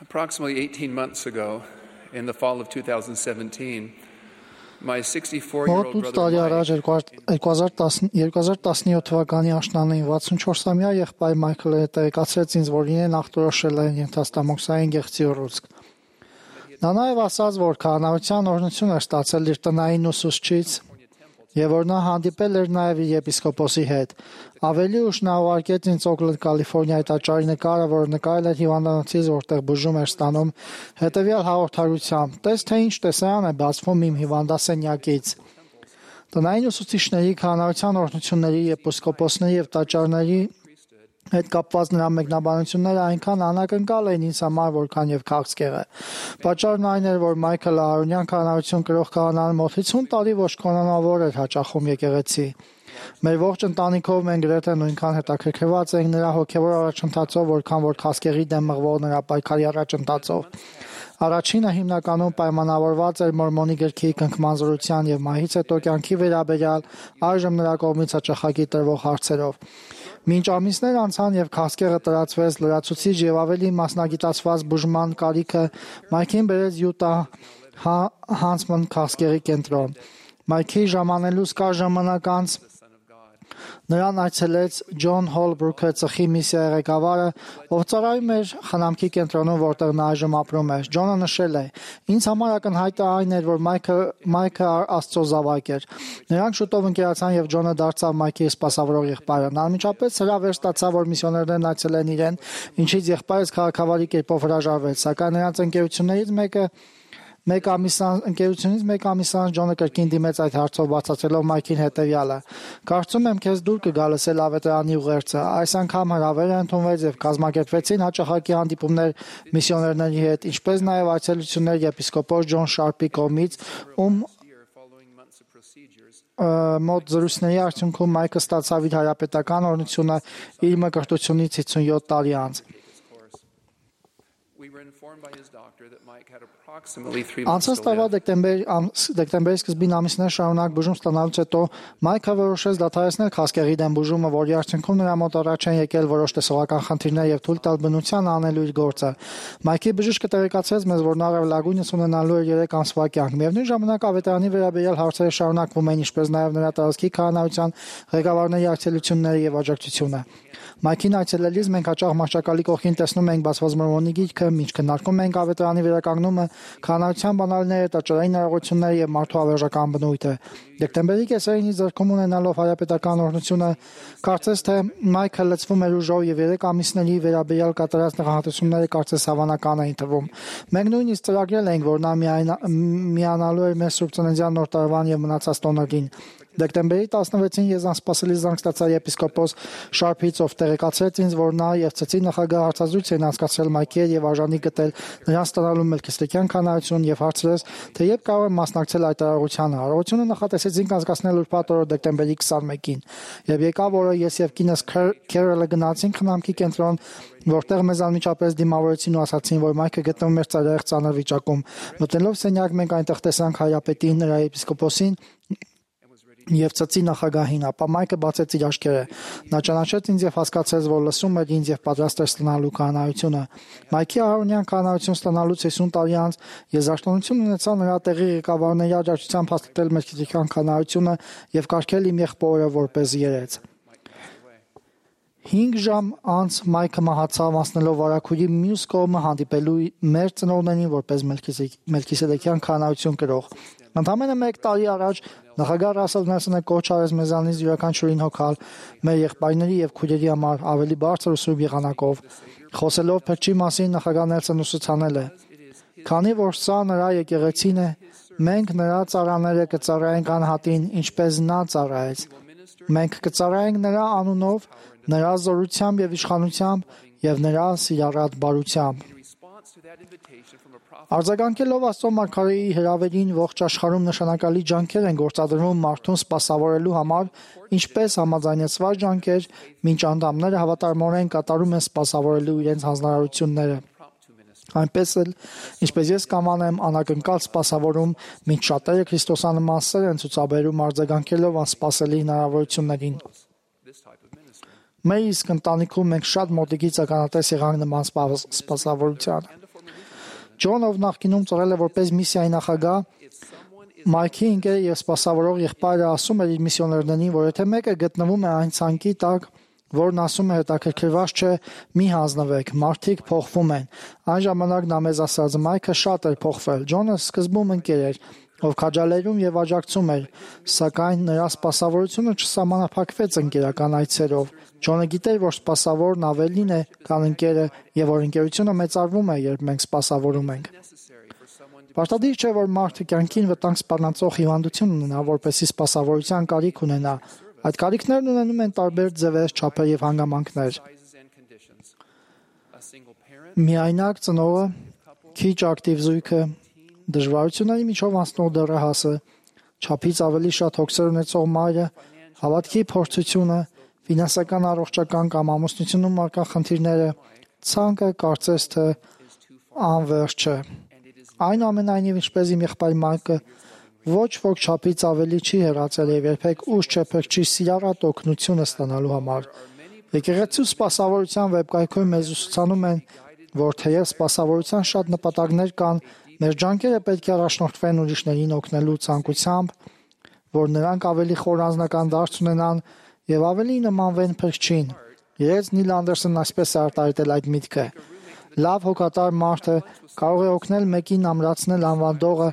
Approximately 18 months ago, in the fall of 2017, my 64-year-old Մոտ 8 տարի առաջ 2017 թվականի աշնանին 64-ամյա եղբայր Մայքլը տեղեկացրեց ինձ, որ իրեն ախտորոշել են ենթաստամոքսային գեղձի ուռուցք։ Նա նաև ասաց, որ քահանայության օրհնություն էր ստացել իր տնային ուսուցչից եւ որ նա հանդիպել էր նաև իր եպիսկոպոսի հետ։ Ավելի ուշ նա ուղարկեց ինձ Օքլենդ, Կալիֆոռնիայի տաճարի նկարը, որը նկարել էր հիվանդանոցից, որտեղ բուժում էր ստանում, հետեւյալ հաղորդարությամբ. «Տես թե ինչ տեսարան է բացվում իմ հիվանդասենյակից»։ Տնային ուսուցիչների, քահանայության օրհնությունների, եպիսկոպոսների եւ տաճարների հետ կապված նրա մեկնաբանությունները այնքան անակնկալ էին ինձ համար, որքան եւ քաղցկեղը։ Պատճառն այն էր, որ Մայքլը արոնյան քահանայություն կրող քահանան մոտ 50 տարի ոչ կանոնավոր էր հաճախում եկեղեցի։ Մեր ողջ ընտանիքով մենք գրեթե նույնքան հետաքրքրված էինք նրա հոգեվոր առաջընթացով, որքան որ քաղցկեղի դեմ մղվող նրա պայքարի առաջընթացով։ Առաջինը հիմնականում պայմանավորված էր մորմոնի գրքի կնքման զորության եւ մահից հետո կյանքի վերաբերյալ այժմ նրա կողմից հաճախակի տրվող հարցերով։ Մինչ ամիսներ անցան եւ քաղցկեղը տարածվեց, լրացուցիչ եւ ավելի մասնագիտացված բուժման կարիքը Մայքին բերեց Յուտա Հանցման քաղցկեղի կենտրոն։ Մայքի ժամանելուց կար ժամանակ անց նրան այցելեց Ջոն Հոլբրուքը, ծխի միսիայի ղեկավարը, ով ծառայում էր խնամքի կենտրոնում, որտեղ նա այժմ ապրում էր։ Ջոնը նշել է. «Ինձ համար ակնհայտը այն էր, որ Մայքը Աստծո զավակ էր»։ Նրանք շուտով ընկերացան եւ Ջոնը դարձավ Մայքի սպասավորող եղբայրը։ Նա անմիջապես հրավեր ստացավ, որ միսիոներներն այցելեն իրեն, ինչից եղբայրս քաղաքավարի կերպով հրաժարվեց, սակայն նրանց ընկերությունից մեկ ամիս անց Ջոնը կրկին դիմեց այդ հարցով, բացատրելով Մայքին հետևյալը. «Կարծում եմ քեզ դուր կգա լսել ավետարանի ուղերձը»։ Այս անգամ հրավերը ընդունվեց եւ կազմակերպվեցին հաճախակի հանդիպումներ միսիոներների հետ, ինչպես նաեւ այցելություններ եպիսկոպոս Ջոն Շարպի կողմից, ում մոտ զրույցների արդյունքում Մայքը ստացավ իր հայրապետական օրհնությունը իր մկրտությունից 57 տարի անց։ Անցած տարվա դեկտեմբերի սկզբին ամիսներ շարունակ բուժում ստանալուց հետո Մայքը որոշեց դադարեցնել քաղցկեղի դեմ բուժումը, որի արդյունքում նրա մոտ առաջ են եկել որոշ տեսողական խնդիրներ եւ թույլ տալ բնության անելու իր գործը։ Մայքի բժիշկը տեղեկացրեց մեզ, որ նա լագույնս ունենալու է 3 ամսվա կյանք։ Միևնույն ժամանակ ավետարանի վերաբերյալ հարցերը շարունակվում են, ինչպես նաեւ նրա տարածքի քահանայության ղեկավարների այցելությունները եւ աջակցությունը։ Մայքին այցելելիս մենք հաճախ մահճակալի կողքին տեսնում ենք բացված մորմոնի գիրքը, ինչ քննարկում ենք ավետարանի վերականգնումը, քահանայության բանալիները, տաճարային արարողությունները եւ մարդու հավերժական բնույթը։ Դեկտեմբերի կեսերին իր ձեռքում ունենալով հայրապետական օրհնությունը, կարծես թե Մայքը լցվում էր ուժով եւ 3 ամիսների վերաբերյալ կատարած նախահատությունները կարծես հավանական էին թվում։ Մենք նույնիսկ ծրագրել էինք, որ նա միանալու էր մեր Սուրբ Ծննդյան նոր տարվան եւ մնացած տոներին։ Դեկտեմբերի 16-ին ես անսպասելի զանգ ստացա եպիսկոպոս Շարփից, ով տեղեկացրեց ինձ, որ նա եւ ծծի նախագահ հարցազրույց են անցկացրել Մայքի հետ եւ արժանի գտել նրան ստանալու մելքիստեքյան քահանայություն եւ հարցրեց, թե երբ կարող եմ մասնակցել այդ արարողությանը։ Արարողությունը նախատեսեցինք անցկացնել ուրբաթ օրը դեկտեմբերի 21-ին, եւ եկավ օրը ես եւ կինս Քերոլը գնացինք խնամքի կենտրոն, որտեղ մեզ անմիջապես դիմավորեցին ու ասացին, որ Մայքը գտնվում էր ծայրահեղ վիճակում։ Մտնելով սենյակ մենք այնտեղ տեսանք հայրապետին, նրա եպիսկոպոսին եւ ծծի նախագահին, ապա Մայքը բացեց իր աչքերը։ Նա ճանաչեց ինձ եւ հասկացեց, որ լսում էր ինձ եւ պատրաստ էր ստանալու քահանայությունը։ Մայքի արոնյան քահանայություն ստանալուց 50 տարի անց ես աշտանություն ունեցա նրա տեղի ղեկավարների աջակցությամբ հաստատել մելքիստեքյան քահանայությունը եւ կարգել իմ եղբորը որպես երեց։ 5 ժամ անց Մայքը մահացավ, անցնելով վարագույրի մյուս կողմը հանդիպելու մեր ծնողներին որպես մելքիստեքյան քահանայություն կրող։ Ընդամենը 1 տարի առաջ նախագահ Ռասել Նելսոնը կոչ արեց մեզանից յուրաքանչյուրին հոգալ մեր եղբայրների եւ քույրերի համար ավելի բարձր ու սուրբ եղանակով։ Խոսելով փրջի մասին նախագահ Նելսոնը ուսուցանել է. «Քանի որ սա նրա եկեղեցին է, մենք նրա ծառաները կծառայենք անհատին, ինչպես նա ծառայեց։ Մենք կծառայենք նրա անունով, նրա զորությամբ եւ իշխանությամբ եւ նրա սիրառատ բարությամբ»։ Արձագանքելով Աստծո մարգարեի հրավերին ողջ աշխարհում նշանակալի ջանքեր են գործադրվում մարդուն սպասավորելու համար, ինչպես համաձայնեցված ջանքեր, մինչ անդամները հավատարմորեն կատարում են սպասավորելու իրենց հանձնարարությունները։ Այնպես էլ, ինչպես ես կամանեմ, անակնկալ սպասավորում, մինչ շատերը քրիստոսանման սեր են ցուցաբերում արձագանքելով անսպասելի հնարավորություններին։ Մեր իսկ ընտանիքում մենք շատ մոտիկից ականատես եղանք նման սպասավորությանը։ Ջոնը, ով նախկինում ծառայել է որպես միսիայի նախագահ, Մայքի ընկերը եւ սպասավորող եղբայրը ասում էր իր միսիոներներին, որ եթե մեկը գտնվում է այն ցանկի տակ, որն ասում է հետաքրքրված չէ, մի հանձնվեք, մարդիկ փոխվում են։ Այն ժամանակ նա մեզ ասաց, Մայքը շատ էր փոխվել։ Ջոնը սկզբում ընկեր էր, ով քաջալերում եւ աջակցում էր, սակայն նրա սպասավորությունը չսահմանափակվեց ընկերական այցերով։ Ջոնը գիտեր, որ սպասավորն ավելին է, քան ընկերը, եւ որ ընկերությունը մեծարվում է, երբ մենք սպասավորում ենք։ Պարտադիր չէ, որ մարդը կյանքին վտանգ սպառնացող հիվանդություն ունենա, որպեսզի սպասավորության կարիք ունենա։ Այդ կարիքներն ունենում են տարբեր ձևեր, չափեր եւ հանգամանքներ։ Միայնակ ծնողը, քիչ ակտիվ զույգը, դժվարությունների միջով անցնող դեռահասը, չափից ավելի շատ հոգսեր ունեցող մայրը, հավատքի փորձությունը, ֆինանսական առողջական կամ ամուսնությունում առկա խնդիրները, ցանկը կարծես թե անվերջ չէ։ Այնուամենայնիվ, ինչպես իմ եղբայր Մայքը, ոչ ոք չափից ավելի չի հեռացել եւ երբեք ուժ չի սիրառատ օգնությունը ստանալու համար։ Եկեղեցու սպասավորության վեբկայքում մեզ ուսուցանում են, որ թեև սպասավորության շատ նպատակներ կան, մեր ջանքերը պետք է առաջնորդվեն ուրիշներին օգնելու ցանկությամբ, որ նրանք ավելի խոր անձնական դարձ ունենան եւ ավելի նմանվեն Փրկչին։ Երեց Նիլ Անդերսոնն այսպես է արտահայտել այդ միտքը. լավ հոգատար մարդը կարող է օգնել մեկին ամրացնել անվանդողը,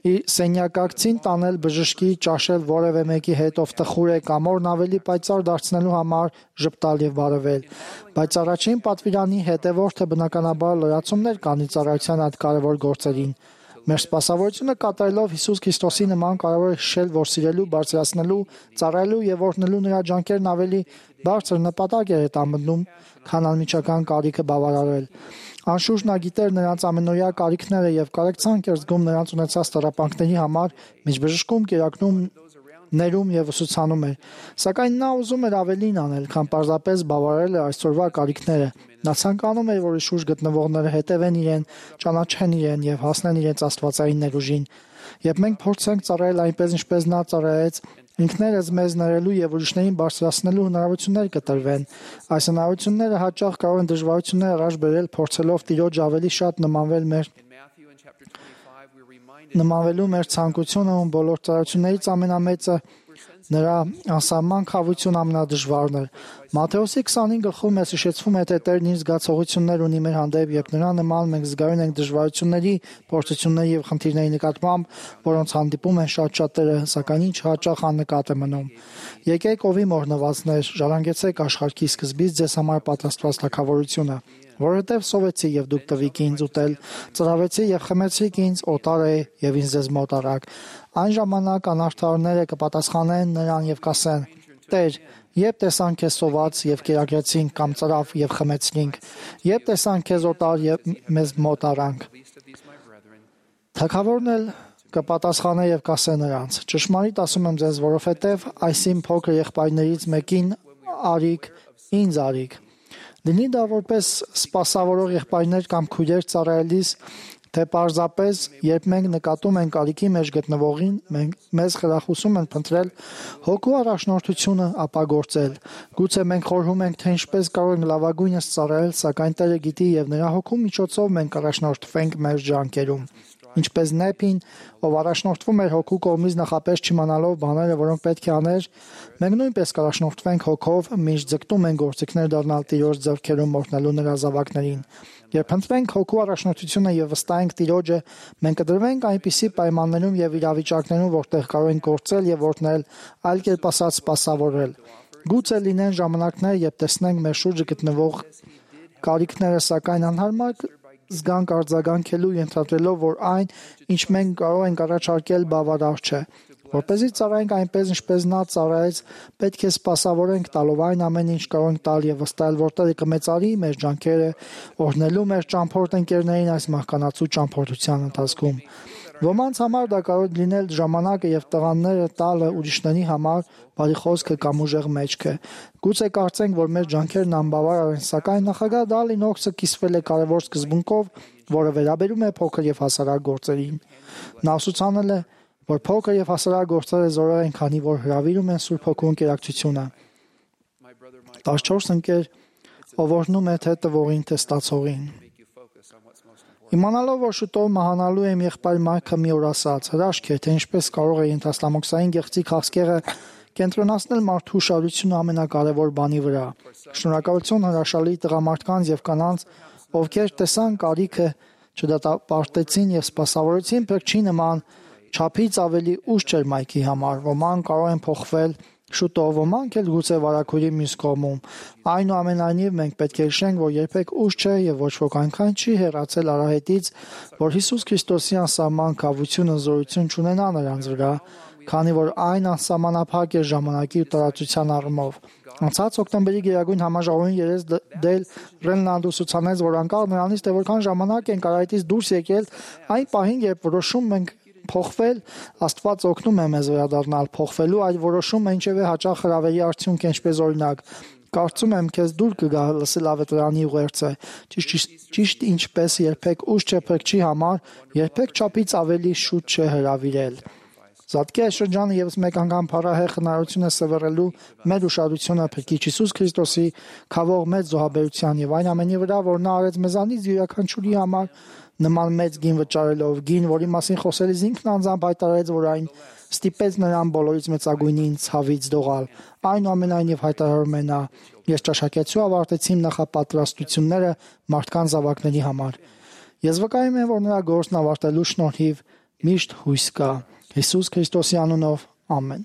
իր սենյակակցին տանել բժշկի, ճաշել որևէ մեկի հետ, ով տխուր է, կամ օրն ավելի պայծառ դարձնելու համար ժպտալ եւ բարևել։ Բայց առաջին պատվիրանի հետևորդը բնականաբար լրացումներ կանի ծառայության այդ կարևոր գործերին։ Մեր սպասավորությունը կատարելով Հիսուս Քրիստոսի նման կարող է հիշել, որ սիրելու, բարձրացնելու, ծառայելու եւ օրհնելու նրա ջանքերն ավելի բարձր նպատակ է հետամտնում, քան անմիջական կարիքը բավարարել։ Անշուշտ նա գիտեր նրանց ամենօրյա կարիքները եւ կարեկցանք էր զգում նրանց ունեցած տառապանքների համար, միջբժշկում, կերակրում, ներում եւ ուսուցանում էր։ Սակայն նա ուզում էր ավելին անել, քան պարզապես բավարարել այսօրվա կարիքները։ Նա ցանկանում էր, որ իշխուժ գտնվողները հետևեն իրեն, ճանաչեն իրեն եւ հասնեն իրենց աստվածային ներուժին։ Երբ մենք փորձենք ծառայել այնպես, ինչպես նա ծառայեց, ինքներս մեզ ներելու եւ ուրիշներին բարձրացնելու հնարավորություններ կտրվեն։ Այս հնարավորությունները հաճախ կարող են դժվարություններ առաջ բերել, փորձելով Տիրոջ ավելի շատ նմանվելու մեր ցանկությունը, ում բոլոր ծառայություններից ամենամեծը նրա անսահման խավություն ամենադժվարն էր։ Մատթեոսի 25-ում մեզ հիշեցվում է, թե Տերն իր զգացողություններ ունի մեր հանդեպ, երբ նրա նման մենք զգայուն ենք դժվարությունների, փորձությունների եւ խնդիրների նկատմամբ, որոնց հանդիպում են շատ շատերը, սակայն ինչ հաճախ աննկատ է մնում։ Եկեք ովի մորնվածներ, ժառանգեցեք աշխարհի սկզբից ձեզ համար պատրաստված թագավորությունը, որովհետև սովեցի եւ դուք տվիք ինձ ուտել, ծրավեցի եւ խմեցիք ինձ, օտար է եւ ինձ ձեզ մոտ առաք։ Այն ժամանակ անարդարները կպատասխանեն նրան եւ կասեն. Տեր, երբ տեսան քեզ սոված եւ կերակրեցինք կամ ծրավ եւ խմեցինք, երբ տեսան քեզ օտար եւ մեզ մոտ առանք։ Թագավորն էլ կպատասխանե եւ կասե նրանց. ճշմարիտ ասում եմ ձեզ, որովհետեւ այսին փոքր եղբայրներից մեկին արիք, ինձ արիք։ Լինի դա որպես սպասավորող եղբայրներ կամ քույրեր ծառայելիս, թե պարզապես, երբ մենք նկատում ենք կարիքի մեջ գտնվողին, մեզ խրախուսում են փնտրել հոգու առաջնորդությունը ապագործել։ Գուցե մենք խորհում ենք, թե ինչպես կարող ենք լավագույնս ծառայել, սակայն Տերը գիտի եւ նրա հոգու միջոցով մենք առաջնորդվենք մեր ջանքերում։ Ինչպես Նեփին, ով առաջնորդվում էր հոգու կողմից նախապես չիմանալով բաները, որոնք պետք է աներ, մենք նույնպես կառաջնորդվենք հոգով, միշտ ձգտում ենք գործիքներ դառնալ Տիրոջ ձեռքերում օրհնելու նրա զավակներին։ Երբ ընտրենք հոգու առաջնորդությունը եւ վստահենք Տիրոջը, մենք կդրվենք այնպիսի պայմաններում եւ իրավիճակներում, որտեղ կարող ենք գործել եւ օրհնել, այլ կերպ ասած սպասավորել։ Գուցե լինեն ժամանակներ, երբ տեսնենք մեր շուրջը գտնվող կարիքները, սակայն անհարմար զգանք արձագանքելու ենթադրելով, որ այն, ինչ մենք կարող ենք առաջարկել, բավարար չէ։ Որպեսզի ծառայենք այնպես, ինչպես նա ծառայեց, պետք է սպասավորենք տալով այն ամեն ինչ կարող ենք տալ եւ վստահել, որ Տերը կմեծարի մեր ջանքերը, օրհնելու մեր ճամփորդ ընկերներին այս մահկանացու ճամփորդության ընթացքում։ Ոմանց համար դա կարող է լինել ժամանակը եւ տղաները տալը ուրիշների համար, բարի խոսքը կամ ուժեղ մեջքը։ Գուցե կարծենք, որ մեր ջանքերն անբավարար են, սակայն նախագահ Դալին Օքսը կիսվել է կարևոր սկզբունքով, որը վերաբերում է փոքր եւ հասարակ գործերին։ Նա ուսուցանել է, որ փոքր եւ հասարակ գործերը զորեղ են, քանի որ հրավիրում են Սուրբ Հոգու ընկերակցությունը։ 14 ընկեր, ով օրհնում է թե տվողին, թե ստացողին։ Իմանալով, որ շուտով մահանալու եմ, եղբայր Մայքը մի օր ասաց. հրաշք է, թե ինչպես կարող է ենթաստամոքսային գեղձի քաղցկեղը կենտրոնացնել մարդու ուշադրությունը ամենակարևոր բանի վրա։ Շնորհակալություն հրաշալի տղամարդկանց եւ կանանց, ովքեր տեսան կարիքը, չդատապարտեցին եւ սպասավորեցին, փրկչի նման չափից ավելի ուշ չէր Մայքի համար։ Ոմանք կարող են փոխվել շուտով, ոմանք էլ գուցե վարակույրի մյուս կողմում։ Այնուամենայնիվ մենք պետք է հիշենք, որ երբեք ուշ չէ եւ ոչ ոք այնքան չի հեռացել արահետից, որ Հիսուս Քրիստոսի անսահման կավությունը զորություն չունենա նրանց վրա, քանի որ այն անսահմանափակ է ժամանակի ու տարածության առումով։ Անցած օկտեմբերի գերագույն համաժողովին երես դել Ռենլանդը ցուցանեց, որ անկախ նրանից, թե որքան ժամանակ ենք արահետից դուրս եկել, այն պահին, երբ որոշում ենք փոխվել, Աստված օգնում է մեզ վերադառնալ փոխվելու այդ որոշումը ինչևէ հաճախ հրավերի արդյունք է, ինչպես օրինակ կարծում եմ քեզ դուր կգա լսել ավետարանի ուղերձը ճիշտ ինչպես երբեք ուշ չէ փրկչի համար երբեք չափից ավելի շուտ չէ հրավիրել Զատկի այս շրջանը եւս մեկ անգամ փառահեղ հնարավորություն է սևեռելու մեր ուշադրությունը Փրկիչ Հիսուս Քրիստոսի քավող մեծ զոհաբերության եւ այն ամենի վրա, որ նա արեց մեզանից յուրաքանչյուրի համար նման մեծ գին վճարելով, գին, որի մասին խոսելիս ինքն անձամբ հայտարարեց, որ այն ստիպեց նրան բոլորից մեծագույնին ցավից դողալ։ Այնուամենայնիվ հայտարարում է նա. ես ճաշակեցու ավարտեցի իմ նախապատրաստությունները մարդկանց զավակների համար։ Ես վկայում եմ, որ նրա գործն ավարտելու շնորհիվ միշտ հույս կա։ Հիսուս Քրիստոսի անունով ամեն։